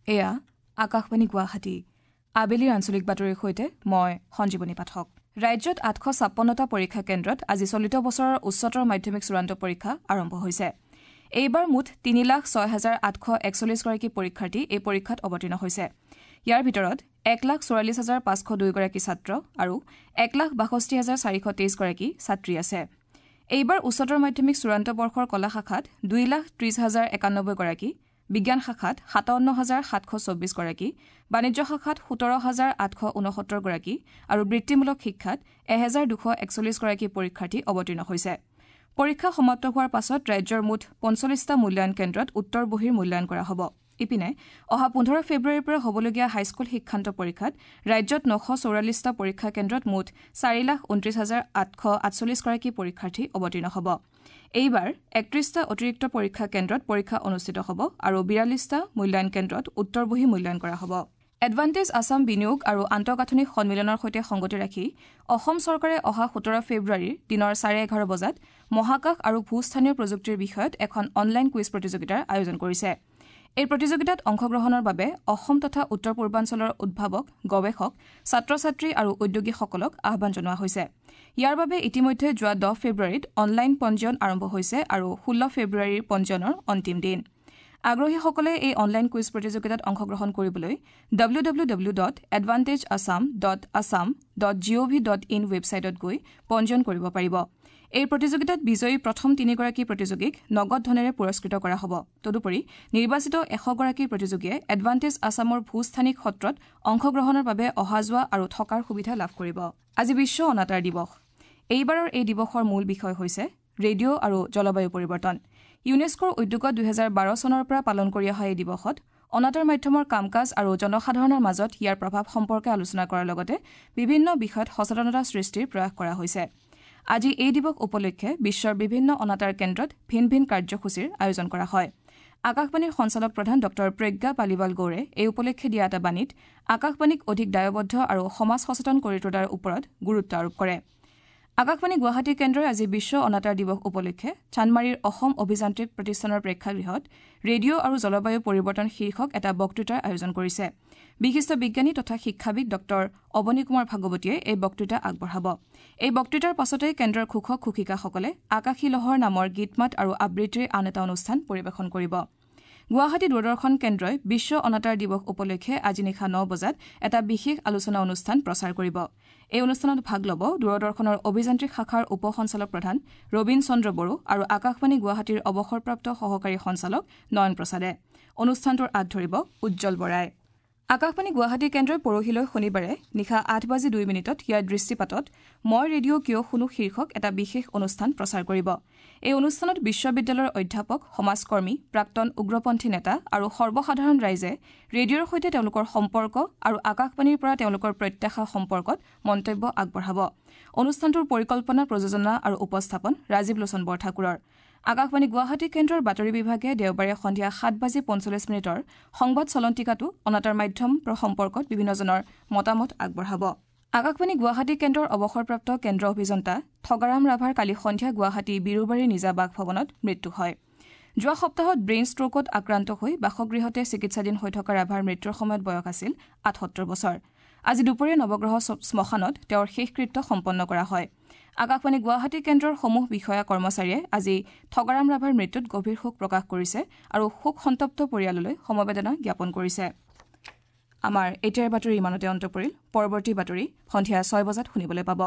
এয়া আকাশবাণী গুৱাহাটী। আবেলিৰ আঞ্চলিক বাতৰিৰ সৈতে মই সঞ্জীৱনী পাঠক। ৰাজ্যত 856টা পৰীক্ষা কেন্দ্ৰত আজি চলিত বছৰৰ উচ্চতৰ মাধ্যমিক চূড়ান্ত পৰীক্ষা আৰম্ভ হৈছে। এইবাৰ মুঠ 3,06,841গৰাকী পৰীক্ষাৰ্থী এই পৰীক্ষাত অৱতীৰ্ণ হৈছে। ইয়াৰ ভিতৰত 1,44,502গৰাকী ছাত্ৰ আৰু 1,62,423গৰাকী ছাত্ৰী আছে। এইবাৰ উচ্চতৰ মাধ্যমিক চূড়ান্ত বৰ্ষৰ কলা শাখাত 2,30,091গৰাকী, বিজ্ঞান শাখাত 57,724গৰাকী, বাণিজ্য শাখাত 17,869গৰাকী আৰু বৃত্তিমূলক শিক্ষাত 1,241গৰাকী পৰীক্ষাৰ্থী অৱতীৰ্ণ হৈছে। পৰীক্ষা সমাপ্ত হোৱাৰ পাছত ৰাজ্যৰ মুঠ 45টা মূল্যায়ন কেন্দ্ৰত উত্তৰ বহীৰ মূল্যায়ন কৰা হ'ব। ইপিনে অহা 15 ফেব্ৰুৱাৰীৰ পৰা হ'বলগীয়া হাইস্কুল শিক্ষান্ত পৰীক্ষাত ৰাজ্যত 944টা পৰীক্ষা কেন্দ্ৰত মুঠ 4,29,848গৰাকী পৰীক্ষাৰ্থী অৱতীৰ্ণ হ'ব। এইবাৰ 31টা অতিৰিক্ত পৰীক্ষা কেন্দ্ৰত পৰীক্ষা অনুষ্ঠিত হ'ব আৰু 42টা মূল্যায়ন কেন্দ্ৰত উত্তৰ বহী মূল্যায়ন কৰা হ'ব। এডভান্টেজ আছাম বিনিয়োগ আৰু আন্তঃগাঁথনি সন্মিলনৰ সৈতে সংগতি ৰাখি অসম চৰকাৰে অহা 17 ফেব্ৰুৱাৰীৰ দিনৰ 11:30 বজাত মহাকাশ আৰু ভূস্থানীয় প্ৰযুক্তিৰ বিষয়ত এখন অনলাইন কুইজ প্ৰতিযোগিতাৰ আয়োজন কৰিছে। এই প্ৰতিযোগিতাত অংশগ্ৰহণৰ বাবে অসম তথা উত্তৰ পূৰ্বাঞ্চলৰ উদ্ভাৱক, গৱেষক, ছাত্ৰ ছাত্ৰী আৰু উদ্যোগীসকলক আহ্বান জনোৱা হৈছে। ইয়াৰ বাবে ইতিমধ্যে যোৱা 10 ফেব্ৰুৱাৰীত অনলাইন পঞ্জীয়ন আৰম্ভ হৈছে আৰু 16 ফেব্ৰুৱাৰীৰ পঞ্জীয়নৰ অন্তিম দিন। আগ্ৰহীসকলে এই অনলাইন কুইজ প্ৰতিযোগিতাত অংশগ্ৰহণ কৰিবলৈ www.advantageassam.assam.gov.in ৱেবছাইটত গৈ পঞ্জীয়ন কৰিব পাৰিব। এই প্ৰতিযোগিতাত বিজয়ী প্ৰথম 3গৰাকী প্ৰতিযোগীক নগদ ধনেৰে পুৰস্কৃত কৰা হ'ব। তদুপৰি নিৰ্বাচিত 100গৰাকী প্ৰতিযোগীয়ে এডভান্টেজ আছামৰ ভূস্থানিক সত্ৰত অংশগ্ৰহণৰ বাবে অহা যোৱা আৰু থকাৰ সুবিধা লাভ কৰিব। আজি বিশ্ব অনাতাঁৰ দিৱস। এইবাৰৰ এই দিৱসৰ মূল বিষয় হৈছে ৰেডিঅ' আৰু জলবায়ু পৰিৱৰ্তন। ইউনেস্কোৰ উদ্যোগত 2012 চনৰ পৰা পালন কৰি অহা এই দিৱসত অনাতাঁৰ মাধ্যমৰ কাম কাজ আৰু জনসাধাৰণৰ মাজত ইয়াৰ প্ৰভাৱ সম্পৰ্কে আলোচনা কৰাৰ লগতে বিভিন্ন বিষয়ত সচেতনতা সৃষ্টিৰ প্ৰয়াস কৰা হৈছে। আজি এই দিৱস উপলক্ষে বিশ্বৰ বিভিন্ন অনাতাঁৰ কেন্দ্ৰত ভিন ভিন কাৰ্যসূচীৰ আয়োজন কৰা হয়। আকাশবাণীৰ সঞ্চালক প্ৰধান ডঃ প্ৰজ্ঞা পালিৱাল গৌৰে এই উপলক্ষে দিয়া এটা বাণীত আকাশবাণীক অধিক দায়বদ্ধ আৰু সমাজ সচেতন কৰি তোলাৰ ওপৰত গুৰুত্ব আৰোপ কৰে। আকাশবাণী গুৱাহাটী কেন্দ্ৰই আজি বিশ্ব অনাতাঁৰ দিৱস উপলক্ষে চানমাৰীৰ অসম অভিযান্ত্ৰিক প্ৰতিষ্ঠানৰ প্ৰেক্ষাগৃহত ৰেডিঅ' আৰু জলবায়ু পৰিৱৰ্তন শীৰ্ষক এটা বক্তৃতাৰ আয়োজন কৰিছে। বিশিষ্ট বিজ্ঞানী তথা শিক্ষাবিদ ডঃ অৱনী কুমাৰ ভাগৱতীয়ে এই বক্তৃতা আগবঢ়াব। এই বক্তৃতাৰ পাছতেই কেন্দ্ৰৰ ঘোষক ঘোষিকাসকলে আকাশী লহৰ নামৰ গীতমাত আৰু আবৃত্তিৰ আন এটা অনুষ্ঠান পৰিৱেশন কৰিব। গুৱাহাটী দূৰদৰ্শন কেন্দ্ৰই বিশ্ব অনাতাঁৰ দিৱস উপলক্ষে আজি নিশা 9 বজাত এটা বিশেষ আলোচনা অনুষ্ঠান প্ৰচাৰ কৰিব। এই অনুষ্ঠানত ভাগ ল'ব দূৰদৰ্শনৰ অভিযান্ত্ৰিক শাখাৰ উপ সঞ্চালক প্ৰধান ৰবীন চন্দ্ৰ বড়ো আৰু আকাশবাণী গুৱাহাটীৰ অৱসৰপ্ৰাপ্ত সহকাৰী সঞ্চালক নয়ন প্ৰসাদে। অনুষ্ঠানটোৰ আঁত ধৰিব উজ্জ্বল বৰাই। আকাশবাণী গুৱাহাটী কেন্দ্ৰই পৰহিলৈ শনিবাৰে নিশা 8:02 ইয়াৰ দৃষ্টিপাতত মই ৰেডিঅ' কিয় শুনো শীৰ্ষক এটা বিশেষ অনুষ্ঠান প্ৰচাৰ কৰিব। এই অনুষ্ঠানত বিশ্ববিদ্যালয়ৰ অধ্যাপক, সমাজকৰ্মী, প্ৰাক্তন উগ্ৰপন্থী নেতা আৰু সৰ্বসাধাৰণ ৰাইজে ৰেডিঅ'ৰ সৈতে তেওঁলোকৰ সম্পৰ্ক আৰু আকাশবাণীৰ পৰা তেওঁলোকৰ প্ৰত্যাশা সম্পৰ্কত মন্তব্য আগবঢ়াব। অনুষ্ঠানটোৰ পৰিকল্পনা, প্ৰযোজনা আৰু উপস্থাপন ৰাজীৱ লোচন বৰঠাকুৰৰ। আকাশবাণী গুৱাহাটী কেন্দ্ৰৰ বাতৰি বিভাগে দেওবাৰে সন্ধিয়া 7:45 সংবাদ চলন্তিকাটো অনাতাঁৰ মাধ্যম সম্পৰ্কত বিভিন্নজনৰ মতামত আগবঢ়াব। আকাশবাণী গুৱাহাটী কেন্দ্ৰৰ অৱসৰপ্ৰাপ্ত কেন্দ্ৰ অভিযন্তা থগাৰাম ৰাভাৰ কালি সন্ধিয়া গুৱাহাটী বিৰুবাৰীৰ নিজা বাসভৱনত মৃত্যু হয়। যোৱা সপ্তাহত ব্ৰেইন ষ্ট্ৰোকত আক্ৰান্ত হৈ বাসগৃহতে চিকিৎসাধীন হৈ থকা ৰাভাৰ মৃত্যুৰ সময়ত বয়স আছিল 78 বছৰ। আজি দুপৰীয়া নৱগ্ৰহ শ্মশানত তেওঁৰ শেষকৃত্য সম্পন্ন কৰা হয়। আকাশবাণী গুৱাহাটী কেন্দ্ৰৰ সমূহ বিষয়া কৰ্মচাৰীয়ে আজি থগাৰাম ৰাভাৰ মৃত্যুত গভীৰ শোক প্ৰকাশ কৰিছে আৰু শোক সন্তপ্ত পৰিয়াললৈ সমবেদনা জ্ঞাপন কৰিছে। আমাৰ এতিয়াৰ বাতৰি ইমানতে অন্ত পৰিল। পৰৱৰ্তী বাতৰি সন্ধিয়া 6 বজাত শুনিবলৈ পাব।